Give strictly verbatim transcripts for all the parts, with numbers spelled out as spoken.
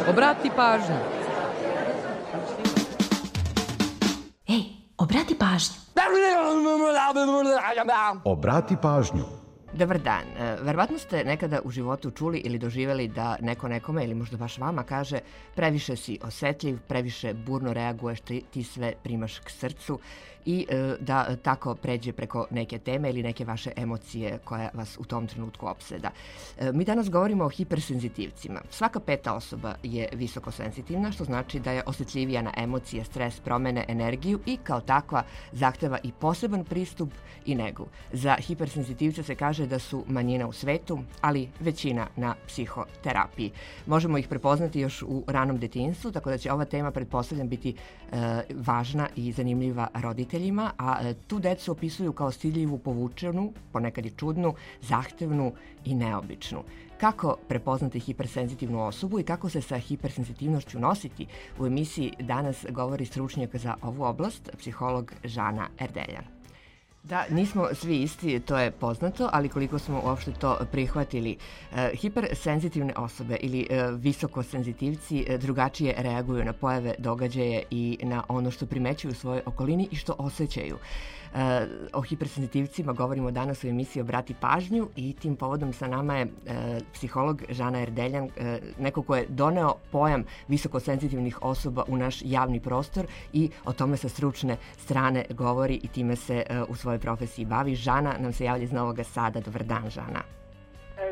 Obrati pažnju. Ej, obrati pažnju. Obrati pažnju. Dobar dan. Verovatno ste nekada u životu čuli ili doživjeli da neko nekome ili možda baš vama kaže previše si osetljiv, previše burno reaguješ, ti, ti sve primaš k srcu i da tako pređe preko neke teme ili neke vaše emocije koja vas u tom trenutku opseda. Mi danas govorimo o hipersenzitivcima. Svaka peta osoba je visoko senzitivna, što znači da je osjetljivija na emocije, stres, promene, energiju i kao takva zahteva i poseban pristup i negu. Za hipersenzitivce se kaže da su manjina u svetu, ali većina na psihoterapiji. Možemo ih prepoznati još u ranom detinjstvu, tako da će ova tema, pretpostavljam, biti e, važna i zanimljiva roditeljima, a e, tu decu opisuju kao stidljivu, povučenu, ponekad i čudnu, zahtevnu i neobičnu. Kako prepoznati hipersenzitivnu osobu i kako se sa hipersenzitivnošću nositi? U emisiji danas govori stručnjak za ovu oblast, psiholog Žana Erdeljan. Da, nismo svi isti, to je poznato, ali koliko smo uopšte to prihvatili. E, hipersenzitivne osobe ili e, visokosenzitivci e, drugačije reaguju na pojave, događaje i na ono što primećuju u svojoj okolini i što osjećaju. E, o hipersenzitivcima govorimo danas u emisiji Obrati pažnju i tim povodom sa nama je e, psiholog Žana Erdeljan, e, neko ko je doneo pojam visokosenzitivnih osoba u naš javni prostor i o tome sa stručne strane govori i time se e, u svojoj profesiji bavi. Žana nam se javlja iz Novog Sada. Dobar dan, Žana.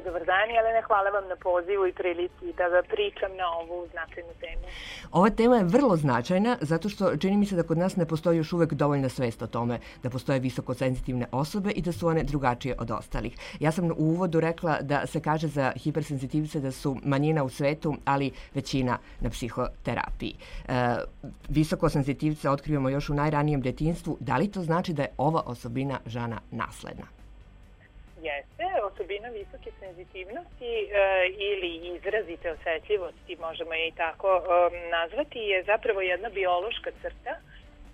Dobar dan, Jelena, hvala vam na pozivu i prilici da ga pričam na ovu značajnu temu. Ova tema je vrlo značajna zato što čini mi se da kod nas ne postoji još uvek dovoljna svest o tome da postoje visokosenzitivne osobe i da su one drugačije od ostalih. Ja sam u uvodu rekla da se kaže za hipersenzitivce da su manjina u svetu, ali većina na psihoterapiji. E, visokosenzitivce otkrivamo još u najranijem detinjstvu. Da li to znači da je ova osobina, Žana, nasledna? Jeste, osobina visoke senzitivnosti e, ili izrazite osetljivosti, možemo je i tako e, nazvati, je zapravo jedna biološka crta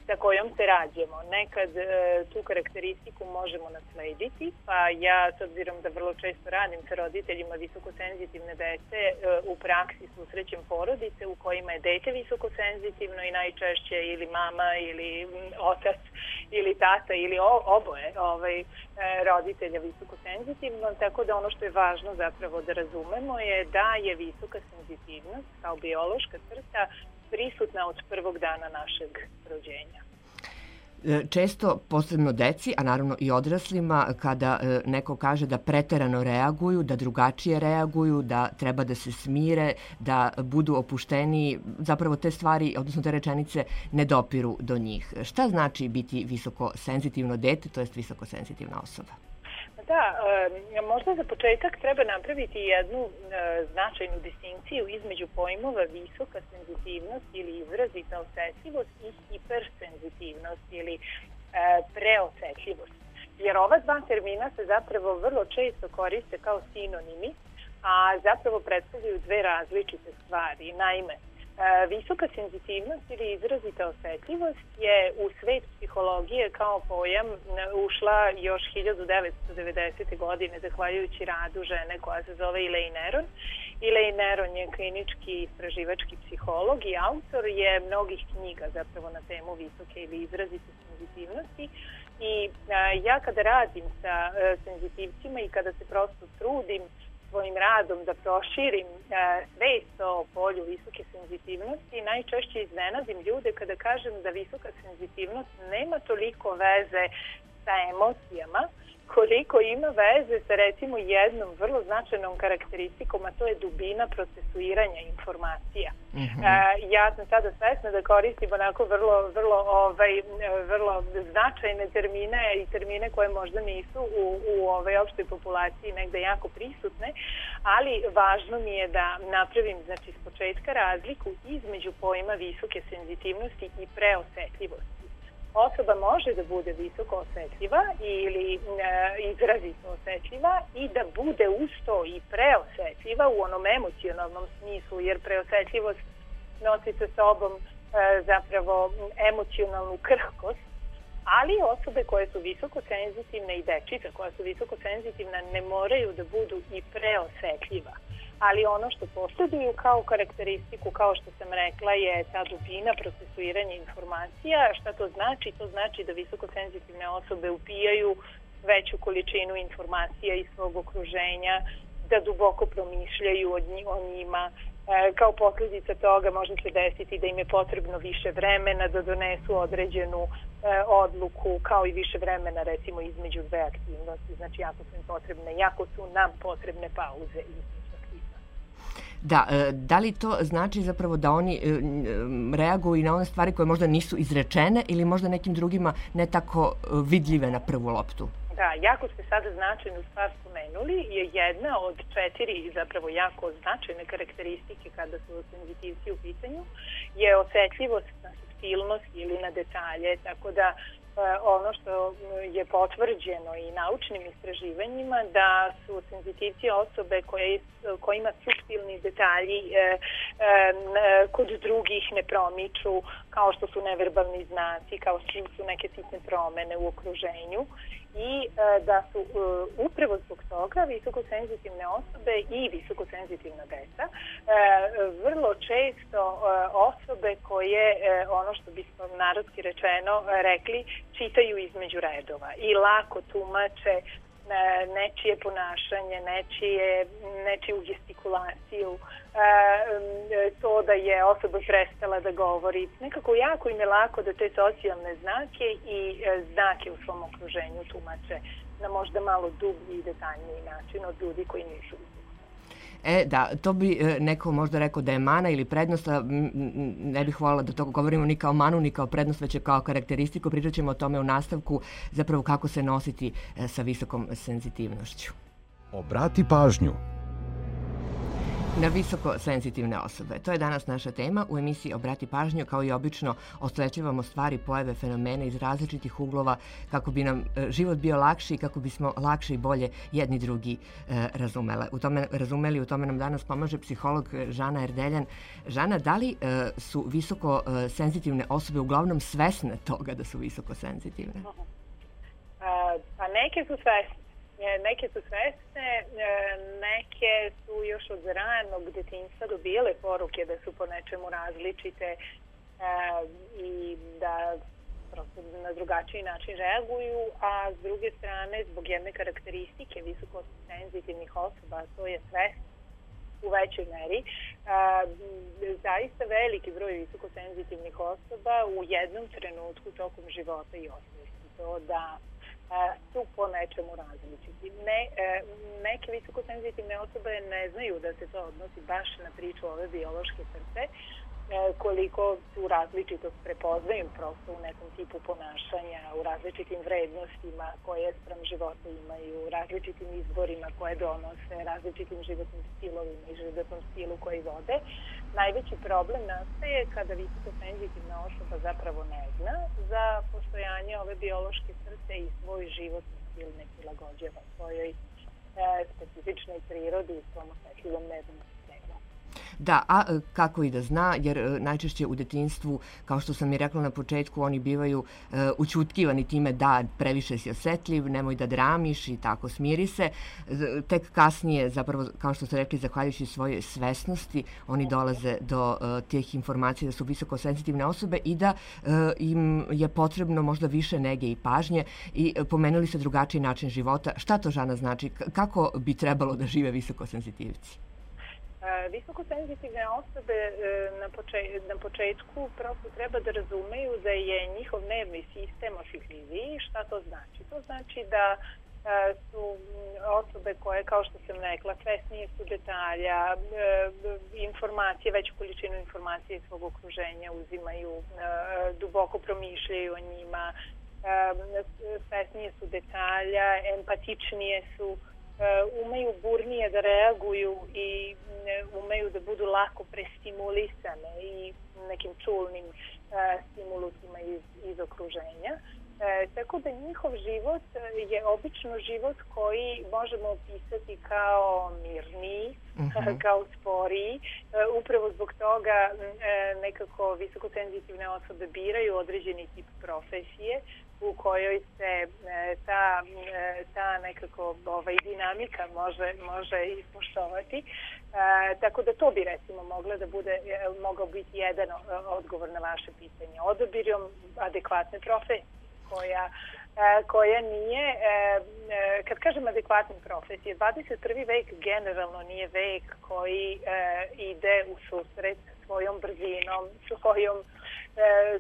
sa kojom se rađamo. Nekad e, tu karakteristiku možemo naslediti, pa ja, s obzirom da vrlo često radim sa roditeljima visokosenzitivne dece, e, u praksi susrećem porodice u kojima je dete visokosenzitivno i najčešće ili mama ili otac ili tata ili oboje ovaj, roditelja visokosenzitivno, tako da ono što je važno zapravo da razumemo je da je visoka senzitivnost kao biološka crta prisutna od prvog dana našeg rođenja. Često, posebno deci, a naravno i odraslima, kada neko kaže da preterano reaguju, da drugačije reaguju, da treba da se smire, da budu opušteniji, zapravo te stvari, odnosno te rečenice, ne dopiru do njih. Šta znači biti visokosenzitivno dete, to jest visokosenzitivna osoba? Da, e, možda za početak treba napraviti jednu e, značajnu distinkciju između pojmova visoka senzitivnost ili izrazita osetljivost i hipersenzitivnost ili e, preosetljivost. Jer ova dva termina se zapravo vrlo često koriste kao sinonimi, a zapravo predstavljaju dve različite stvari. Naime, visoka senzitivnost ili izrazita osetljivost je u svet psihologije kao pojam ušla još hiljadu devetsto devedesete. godine zahvaljujući radu žene koja se zove Elaine Aron. Elaine Aron je klinički istraživački psiholog i autor je mnogih knjiga zapravo na temu visoke ili izrazite senzitivnosti. I a, ja kada radim sa a, senzitivcima i kada se prosto trudim svojim radom da proširim e, svest o polju visoke senzitivnosti, najčešće iznenadim ljude kada kažem da visoka senzitivnost nema toliko veze sa emocijama, koliko ima veze sa recimo jednom vrlo značajnom karakteristikom, a to je dubina procesuiranja informacija. Mm-hmm. E, ja sam sada svesna da koristim onako vrlo, vrlo, ovaj, vrlo značajne termine i termine koje možda nisu u, u ovaj opštoj populaciji negde jako prisutne, ali važno mi je da napravim znači, s početka razliku između pojma visoke senzitivnosti i preosetljivosti. Osoba može da bude visoko osetljiva ili e, izrazito osetljiva i da bude uz to i preosetljiva u onom emocionalnom smislu, jer preosetljivost nosi sa sobom e, zapravo emocionalnu krhkost, ali osobe koje su visoko senzitivne i dečica koja su visoko senzitivna ne moraju da budu i preosetljiva. ali ono što posjeduju kao karakteristiku, kao što sam rekla, je ta dubina procesuiranja informacija. Šta to znači? To znači da visokosenzitivne osobe upijaju veću količinu informacija iz svog okruženja, da duboko promišljaju o njima. Kao posljedica toga može se desiti da im je potrebno više vremena da donesu određenu odluku, kao i više vremena recimo između dve aktivnosti. Znači, jako su im potrebne, jako su nam potrebne pauze između aktivnosti. Da, da li to znači zapravo da oni reaguju na one stvari koje možda nisu izrečene ili možda nekim drugima ne tako vidljive na prvu loptu? Da, jako ste sada značajnu stvar spomenuli, je jedna od četiri zapravo jako značajne karakteristike kada su senzitivci u pitanju, je osetljivost na suptilnost ili na detalje, tako da ono što je potvrđeno i naučnim istraživanjima da su senzitivci osobe koje, kojima suptilni detalji e, e, kod drugih ne promiču, kao što su neverbalni znaci, kao što su neke sitne promene u okruženju i e, da su e, upravo zbog toga visokosenzitivne osobe i visokosenzitivna deca e, vrlo često e, osobe koje, e, ono što bismo narodski rečeno rekli, čitaju između redova i lako tumače nečije ponašanje, nečije, nečiju gestikulaciju, to da je osoba prestala da govori. Nekako jako im je lako da te socijalne znake i znake u svom okruženju tumače na možda malo dublji i detaljniji način od ljudi koji nisu. E, da, to bi neko možda rekao da je mana ili prednost, a ne bih voljela da to govorimo ni kao manu, ni kao prednost, već kao karakteristiku. Pričat ćemo o tome u nastavku, zapravo kako se nositi sa visokom senzitivnošću. Obrati pažnju. Na visoko senzitivne osobe. To je danas naša tema. U emisiji Obrati pažnju, kao i obično, osvetljavamo stvari, pojave, fenomene iz različitih uglova kako bi nam život bio lakši i kako bismo lakše i bolje jedni drugi e, razumele. U tome, razumeli. U tome nam danas pomaže psiholog Žana Erdeljan. Žana, da li e, su visoko e, senzitivne osobe uglavnom svesne toga da su visoko senzitivne? A, pa neke su svesne. Neke su svesne, neke su još od ranog detinjstva dobile poruke da su po nečemu različite i da prosto na drugačiji način reaguju, a s druge strane, zbog jedne karakteristike visoko senzitivnih osoba, to je svesno u većoj meri, zaista veliki broj visoko senzitivnih osoba u jednom trenutku tokom života i osvijesti to da su po nečemu različiti. Ne, neke visokosenzitivne osobe ne znaju da se to odnosi baš na priču ove biološke crte, koliko tu različitost prepoznaju prosto u nekom tipu ponašanja, u različitim vrednostima koje sprem života imaju, u različitim izborima koje donose, različitim životnim stilovima i životnom stilu koji vode. Najveći problem nastaje kada visokosenzitivna osoba zapravo ne zna za postojanje ove biološke crte i svoj životni stil ne prilagođava svojoj e, specifičnoj prirodi i svom osetljivom nervnom sistemu. Da, a kako i da zna, jer najčešće u detinjstvu, kao što sam i rekla na početku, oni bivaju e, učutkivani time da previše si osetljiv, nemoj da dramiš i tako, smiri se. Tek kasnije, zapravo, kao što ste rekli, zahvaljujući svojoj svesnosti, oni dolaze do e, tih informacija da su visoko senzitivne osobe i da e, im je potrebno možda više nege i pažnje i pomenuli se drugačiji način života. Šta to, Žana, znači? Kako bi trebalo da žive visoko senzitivci? Visokosenzitivne osobe na, poče, na početku prosto treba da razumeju da je njihov nervni sistem osjetljiviji. Šta to znači? To znači da su osobe koje, kao što sam rekla, svesnije su detalja, informacije, veću količinu informacije iz svog okruženja uzimaju, duboko promišljaju o njima, svesnije su detalja, empatičnije su, umeju burnije da reaguju i umeju da budu lako prestimulisane i nekim čulnim stimulusima iz, iz okruženja. E, tako da njihov život je obično život koji možemo opisati kao mirniji, uh-huh. kao sporiji. E, upravo zbog toga e, nekako visokosenzitivne osobe biraju određeni tip profesije u kojoj se ta, ta nekako ovaj, dinamika može, može ispoštovati. E, tako da to bi recimo mogla da bude, mogao biti jedan odgovor na vaše pitanje. Odabirom adekvatne profesije koja koja nije, kad kažem adekvatne profesije, dvadeset prvi vek generalno nije vek koji ide u susret svojom brzinom, svojom,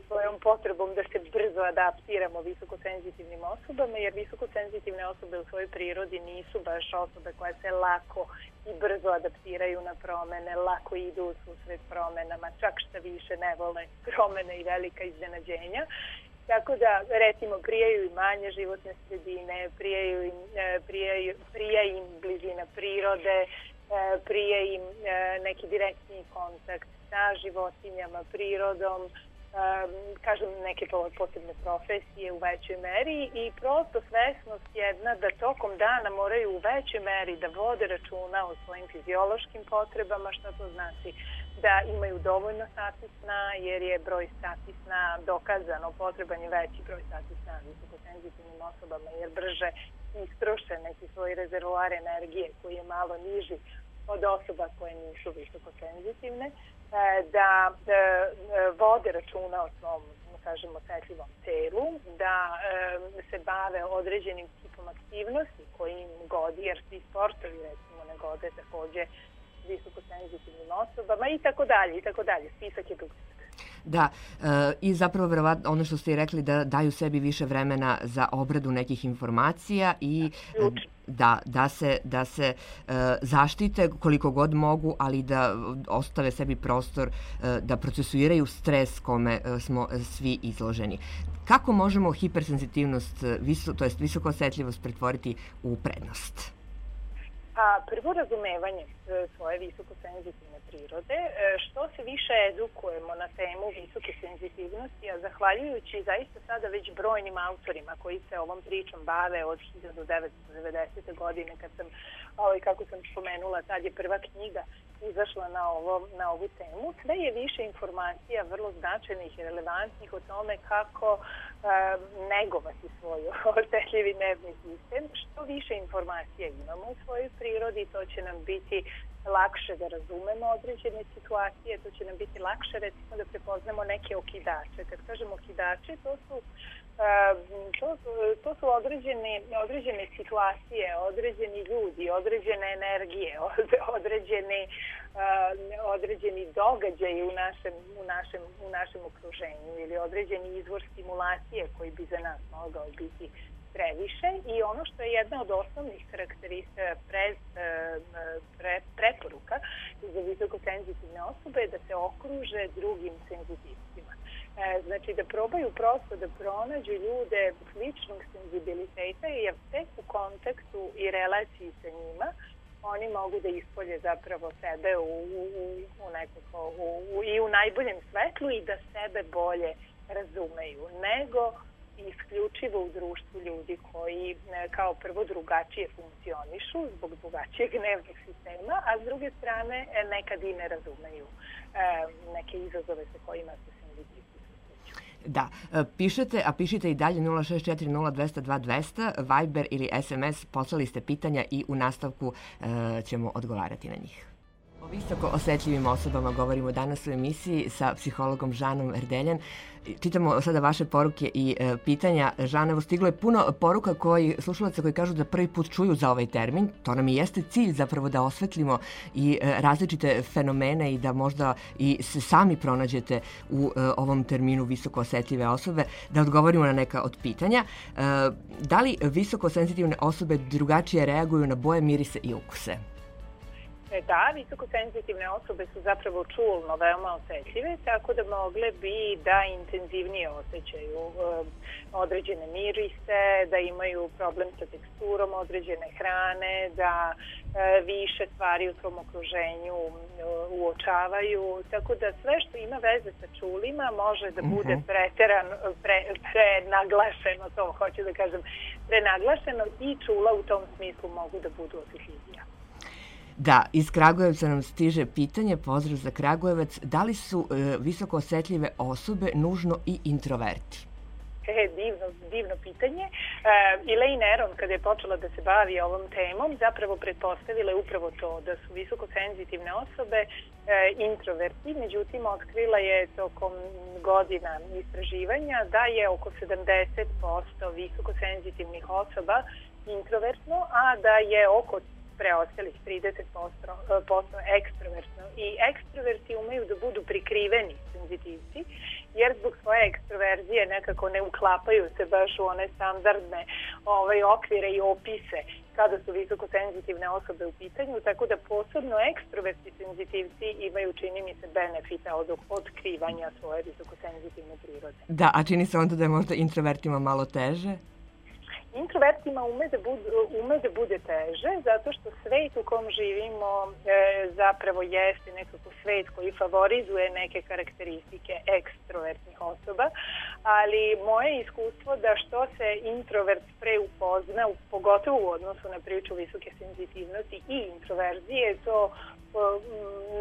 svojom potrebom da se brzo adaptiramo visokosenzitivnim osobama, jer visokosenzitivne osobe u svojoj prirodi nisu baš osobe koje se lako i brzo adaptiraju na promene, lako idu u susret promenama, čak šta više ne vole promene i velika iznenađenja. Tako da, recimo, prijaju im manje životne sredine, prijaju im, prijaju, prija im blizina prirode, prija im neki direktni kontakt sa životinjama, prirodom, kažem neke posebne profesije u većoj meri i prosto svesnost jedna da tokom dana moraju u većoj meri da vode računa o svojim fiziološkim potrebama, što to znači da imaju dovoljno sati sna, jer je broj sati sna dokazano, potreban je veći broj sati sna visokosenzitivnim osobama, jer brže istroše neki svoj rezervoar energije koji je malo niži od osoba koje nisu visokosenzitivne, da vode računa o svom, kažemo, osetljivom telu, da se bave određenim tipom aktivnosti koji im godi, jer svi sportovi recimo ne gode takođe visokosenzitivnim osobama i tako dalje, i tako dalje. Spisak je dug. Da, e, i zapravo verovatno ono što ste i rekli da daju sebi više vremena za obradu nekih informacija i da, da se, da se e, zaštite koliko god mogu, ali da ostave sebi prostor e, da procesuiraju stres kome e, smo svi izloženi. Kako možemo hipersenzitivnost, viso, to jest visoko osetljivost pretvoriti u prednost? A prvo razumevanje svoje visokosenzitivne prirode, što se više edukujemo na temu visoke senzitivnosti, a zahvaljujući zaista sada već brojnim autorima koji se ovom pričom bave od hiljadu devetsto devedesete. godine, kad sam, ovaj, kako sam spomenula, tad je prva knjiga izašla na, ovo, na ovu temu, sve je više informacija vrlo značajnih i relevantnih o tome kako um, negovati svoj osetljivi nervni sistem. Što više informacija imamo u svojoj prirodi, to će nam biti lakše da razumemo određene situacije, to će nam biti lakše recimo da prepoznamo neke okidače. Kad kažemo okidače, to su, to, to su određene, određene situacije, određeni ljudi, određene energije, određeni, određeni događaji u našem, u, našem, u našem okruženju ili određeni izvor stimulacije koji bi za nas mogao biti previše i ono što je jedna od osnovnih karakteristika pre, pre, preporuka za visokosenzitivne osobe je da se okruže drugim senzitivcima. Znači da probaju prosto da pronađu ljude sličnog senzibiliteta jer tek u kontaktu i relaciji sa njima oni mogu da ispolje zapravo sebe u, u, u nekako, u, u, i u najboljem svetlu i da sebe bolje razumeju nego isključivo u društvu ljudi koji kao prvo drugačije funkcionišu zbog drugačijeg nervnog sistema, a s druge strane nekad i ne razumeju neke izazove sa kojima se senzitivni susreću. Da, pišete, a pišite i dalje nula šest četiri nula dva nula dva dva nula nula, Viber ili es em es, poslali ste pitanja i u nastavku e, ćemo odgovarati na njih. O visoko osetljivim osobama govorimo danas u emisiji sa psihologom Žanom Erdeljan. Čitamo sada vaše poruke i e, pitanja. Žan, evo stiglo je puno poruka koji, slušalaca koji kažu da prvi put čuju za ovaj termin. To nam i jeste cilj zapravo da osvetlimo i e, različite fenomene i da možda i se sami pronađete u e, ovom terminu visoko osetljive osobe, da odgovorimo na neka od pitanja. E, da li visoko senzitivne osobe drugačije reaguju na boje, mirise i ukuse? Da, visokosenzitivne osobe su zapravo čulno veoma osetljive, tako da mogle bi da intenzivnije osjećaju um, određene mirise, da imaju problem sa teksturom određene hrane, da uh, više stvari u svom okruženju uh, uočavaju, tako da sve što ima veze sa čulima može da bude preteran, pre, prenaglašeno, to hoću da kažem, prenaglašeno i čula u tom smislu mogu da budu osjetljivija. Da, iz Kragujevca nam stiže pitanje, pozdrav za Kragujevac, da li su e, visoko osetljive osobe nužno i introverti? E, divno, divno pitanje. Uh, Elaine Aron, kada je počela da se bavi ovom temom, zapravo pretpostavila je upravo to, da su visokosenzitivne osobe uh, introverti, međutim otkrila je tokom godina istraživanja da je oko sedamdeset posto visokosenzitivnih osoba introvertno, a da je oko preostalih trideset posto ekstrovertno. I ekstroverti umeju da budu prikriveni senzitivci, jer zbog svoje ekstroverzije nekako ne uklapaju se baš u one standardne ovaj, okvire i opise kada su visokosenzitivne osobe u pitanju, tako da posebno ekstroverti senzitivci imaju, čini mi se, benefita od otkrivanja svoje visokosenzitivne prirode. Da, a čini se onda da je možda introvertima malo teže? Introvertima ume da, bude, ume da bude teže, zato što svet u kom živimo e, zapravo jeste nekako svet koji favorizuje neke karakteristike ekstrovertnih osoba, ali moje iskustvo da što se introvert pre upozna, pogotovo u odnosu na priču visoke senzitivnosti i introverzije, to o,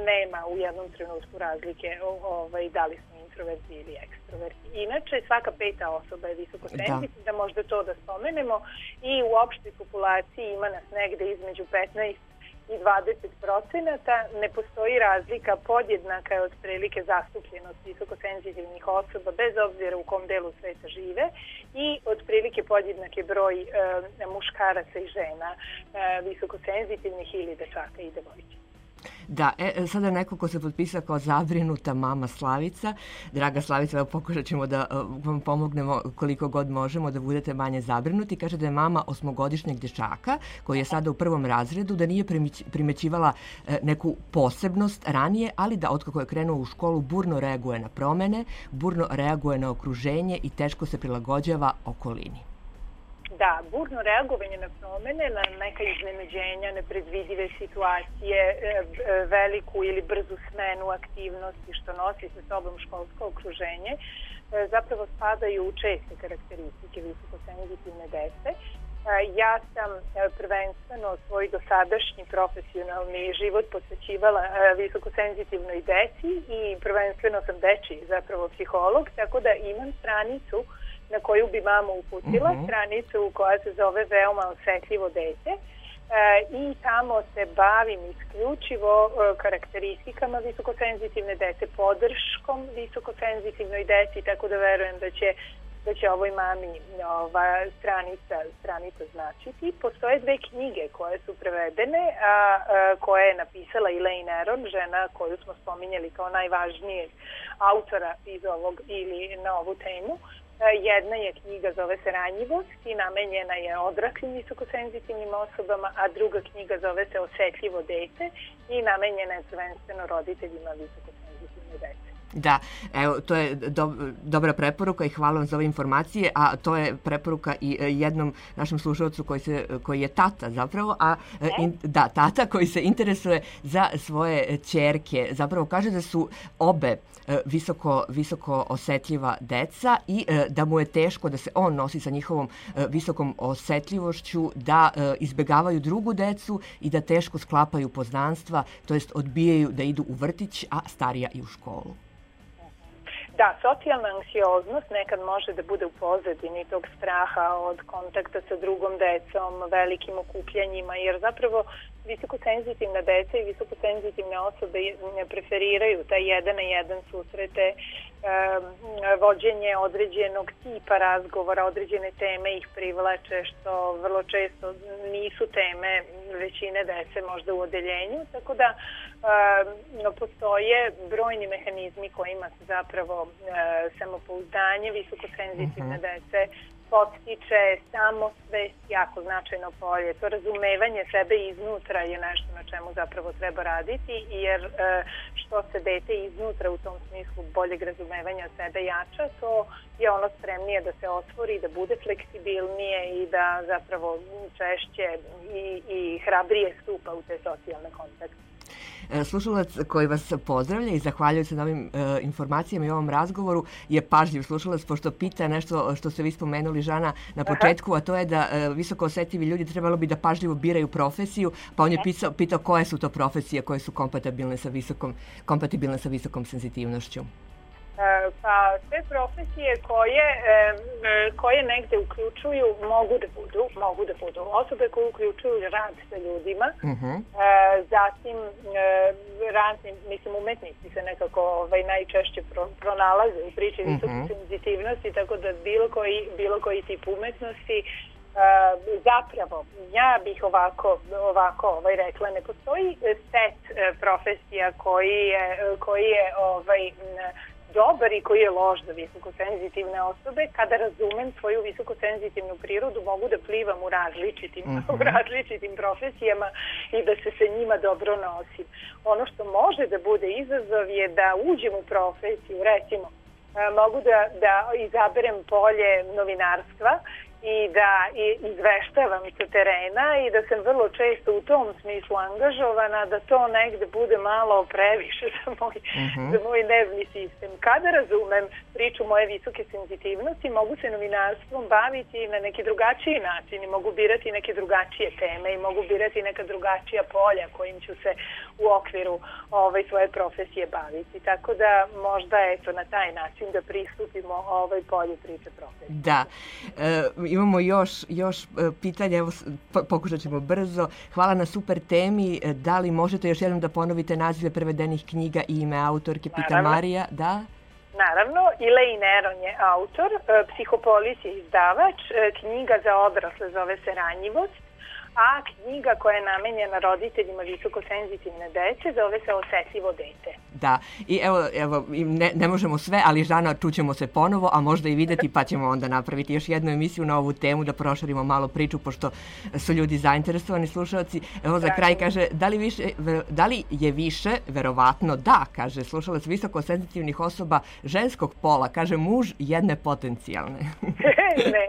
nema u jednom trenutku razlike o, ovaj, da li smo introverti ili ekstroverti. Inače, svaka peta osoba je visoko senzitivna, da. možda to da spomenemo, i u opštoj populaciji ima nas negde između petnaest i dvadeset procenata. Ne postoji razlika, podjednaka je otprilike zastupljenost visokosenzitivnih osoba, bez obzira u kom delu sveta žive, i otprilike podjednak je broj e, muškaraca i žena e, visokosenzitivnih ili dečaka i devojčica. Da, e, sada neko ko se potpisao kao zabrinuta mama Slavica. Draga Slavica, evo pokušat ćemo da vam pomognemo koliko god možemo da budete manje zabrinuti. Kaže da je mama osmogodišnjeg dečaka koji je sada u prvom razredu, da nije primećivala e, neku posebnost ranije, ali da otkako je krenuo u školu burno reaguje na promene, burno reaguje na okruženje i teško se prilagođava okolini. Da, burno reagovanje na promene, na neka iznenađenja, nepredvidive situacije, veliku ili brzu smenu aktivnosti što nosi sa sobom školsko okruženje, zapravo spadaju u česte karakteristike visokosenzitivne dece. Ja sam prvenstveno svoj dosadašnji profesionalni život posvećivala visokosenzitivnoj deci i prvenstveno sam dečiji zapravo psiholog, tako da imam stranicu na koju bi mama uputila, uh-huh. stranicu koja se zove Veoma osetljivo dete, e, i tamo se bavim isključivo e, karakteristikama visokosenzitivne dece, podrškom visokosenzitivnoj deci, tako da verujem da će, da će ovoj mami ova stranica, stranica značiti. Postoje dve knjige koje su prevedene, a, a koje je napisala Elaine Aron, žena koju smo spominjali kao najvažnijeg autora iz ovog ili na ovu temu. Jedna je knjiga, zove se Ranjivost i namenjena je odraslim visokosenzitivnim osobama, a druga knjiga zove se Osetljivo dete i namenjena je prvenstveno roditeljima visokosenzitivne dece. Da, evo, to je do, dobra preporuka i hvala vam za ove informacije, a to je preporuka i jednom našem slušalcu koji, se, koji je tata zapravo, a in, da, tata koji se interesuje za svoje ćerke. Zapravo kaže da su obe visoko, visoko osetljiva deca i da mu je teško da se on nosi sa njihovom visokom osetljivošću, da izbegavaju drugu decu i da teško sklapaju poznanstva, to jest odbijaju da idu u vrtić, a starija i u školu. Da, socijalna anksioznost nekad može da bude u pozadini tog straha od kontakta sa drugom decom, velikim okupljanjima, jer zapravo visokosenzitivna deca i visokosenzitivne osobe ne preferiraju taj jedan na jedan susrete, e, vođenje određenog tipa razgovora, određene teme ih privlače, što vrlo često nisu teme većine dece možda u odeljenju, tako da e, postoje brojni mehanizmi kojima se zapravo e, samopouzdanje visokosenzitivne uh-huh. dece podstiče, samosvest, jako značajno polje. To razumevanje sebe iznutra je nešto na čemu zapravo treba raditi, jer što se dete iznutra u tom smislu boljeg razumevanja sebe jača, to je ono spremnije da se otvori, da bude fleksibilnije i da zapravo češće i, i hrabrije stupa u te socijalne kontakte. Slušalac koji vas pozdravlja i zahvaljuje se na ovim e, informacijama i ovom razgovoru je pažljiv slušalac, pošto pita nešto što ste vi spomenuli, Žana, na početku, a to je da e, visoko osetljivi ljudi trebalo bi da pažljivo biraju profesiju, pa on je pitao, pitao koje su to profesije koje su kompatibilne sa visokom, kompatibilne sa visokom senzitivnošću. Pa sve profesije koje, koje negde uključuju mogu da budu, mogu da budu osobe koje uključuju rad sa ljudima, uh-huh. zatim razni, mislim, umetnici se nekako ovaj, najčešće pro, pronalaze u priči uh-huh. visoke senzitivnosti, tako da bilo koji, bilo koji tip umetnosti. Zapravo, ja bih ovako, ovako ovaj, rekla, ne postoji set profesija koji je, koji je ovaj, dobar i koji je loš za visokosenzitivne osobe. Kada razumem svoju visokosenzitivnu prirodu, mogu da plivam u različitim, uh-huh. u različitim profesijama i da se sa njima dobro nosim. Ono što može da bude izazov je da uđem u profesiju, recimo, mogu da, da izaberem polje novinarstva i da izveštavam sa terena i da sam vrlo često u tom smislu angažovana, da to negde bude malo previše za moj, uh-huh. za moj nervni sistem. Kada razumem priču moje visoke senzitivnosti, mogu se novinarstvom baviti na neki drugačiji način i mogu birati neke drugačije teme i mogu birati neka drugačija polja kojim ću se u okviru ovaj, svoje profesije baviti. Tako da možda eto na taj način da pristupimo ovaj polju priče profesije. Da. E, Imamo još, još pitanja, evo pokušat ćemo brzo. Hvala na super temi. Da li možete još jednom da ponovite nazive prevedenih knjiga i ime autorke? Pita Naravno. Marija. Da? Naravno, Elaine Aron je autor, Psihopolis je izdavač, knjiga za odrasle zove se Ranjivost, a knjiga koja je namenjena roditeljima visokosenzitivne dece zove se Osetljivo dete. Da, i evo, evo ne, ne možemo sve, ali Žana, čućemo se ponovo, a možda i videti, pa ćemo onda napraviti još jednu emisiju na ovu temu da proširimo malo priču, pošto su ljudi zainteresovani slušalci. Evo za kraj kaže, da li, više, da li je više, verovatno da, kaže slušalac, visokosenzitivnih osoba ženskog pola, kaže muž jedne potencijalne. ne,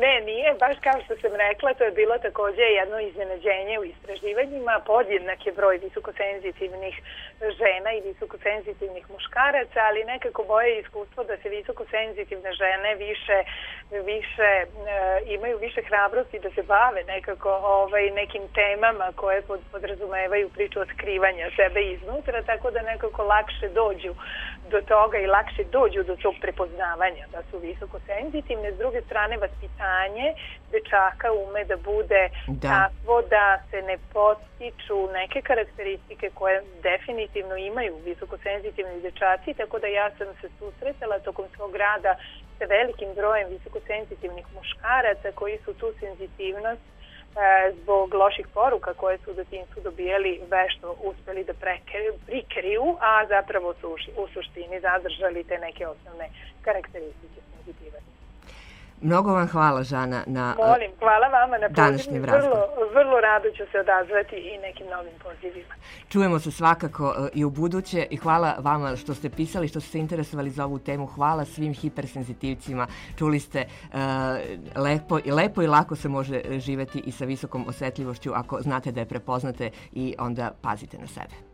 ne, nije, baš kao što sam rekla, to je bilo takođe jedno iznenađenje u istraživanjima, podjednak je broj visokosenzitivnih žena i visokosenzitivnih muškaraca, ali nekako moje iskustvo da se visokosenzitivne žene više, više e, imaju više hrabrosti da se bave nekako ovaj, nekim temama koje pod, podrazumevaju priču otkrivanja sebe iznutra, tako da nekako lakše dođu do toga i lakše dođu do tog prepoznavanja da su visokosenzitivne. S druge strane, vaspitanje dečaka ume da bude da. takvo da se ne podstiču neke karakteristike koje definitivno imaju visokosenzitivni dečaci, tako da ja sam se susretala tokom svog rada sa velikim brojem visokosenzitivnih muškaraca koji su tu senzitivnost zbog loših poruka koje su u detinjstvu dobijali vešto uspeli da prikriju, a zapravo su u suštini zadržali te neke osnovne karakteristike senzitivnosti. Mnogo vam hvala, Žana, na Molim, hvala vama na današnjem razgovoru. Vrlo, vrlo rado ću se odazvati i nekim novim pozivima. Čujemo se svakako i u buduće i hvala vama što ste pisali, što ste se interesovali za ovu temu. Hvala svim hipersenzitivcima. Čuli ste uh, lepo, i lepo i lako se može živeti i sa visokom osetljivošću ako znate da je prepoznate i onda pazite na sebe.